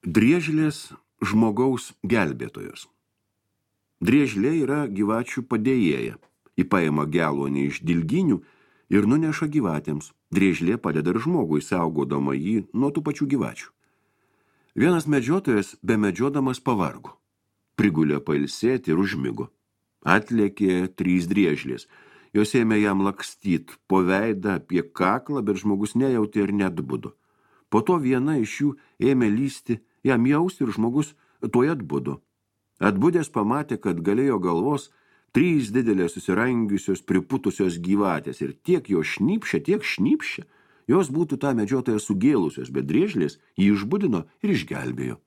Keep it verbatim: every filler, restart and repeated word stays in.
Driežlės žmogaus gelbėtojos. Driežlė yra gyvačių padėjėja. Ji paima geluonį iš dilginių ir nuneša gyvatėms. Driežlė padeda ir žmogui, saugodama jį nuo tų pačių gyvačių. Vienas medžiotojas bemedžiodamas pavargo. Prigulė pailsėti ir užmigo. Atlėkė trys driežlės. Jos ėmė jam lakstyt po veidą apie kaklą, bet žmogus nejautė ir neatbudo. Po to viena iš jų ėmė lysti jam jausti ir žmogus tuoj atbudo. Atbudęs pamatė, kad galėjo galvos trys didelės susirangiusios priputusios gyvatės ir tiek jo šnypšia, tiek šnypšia. Jos būtų tą medžiotoją sugėlusios, bet driežlės jį išbudino ir išgelbėjo.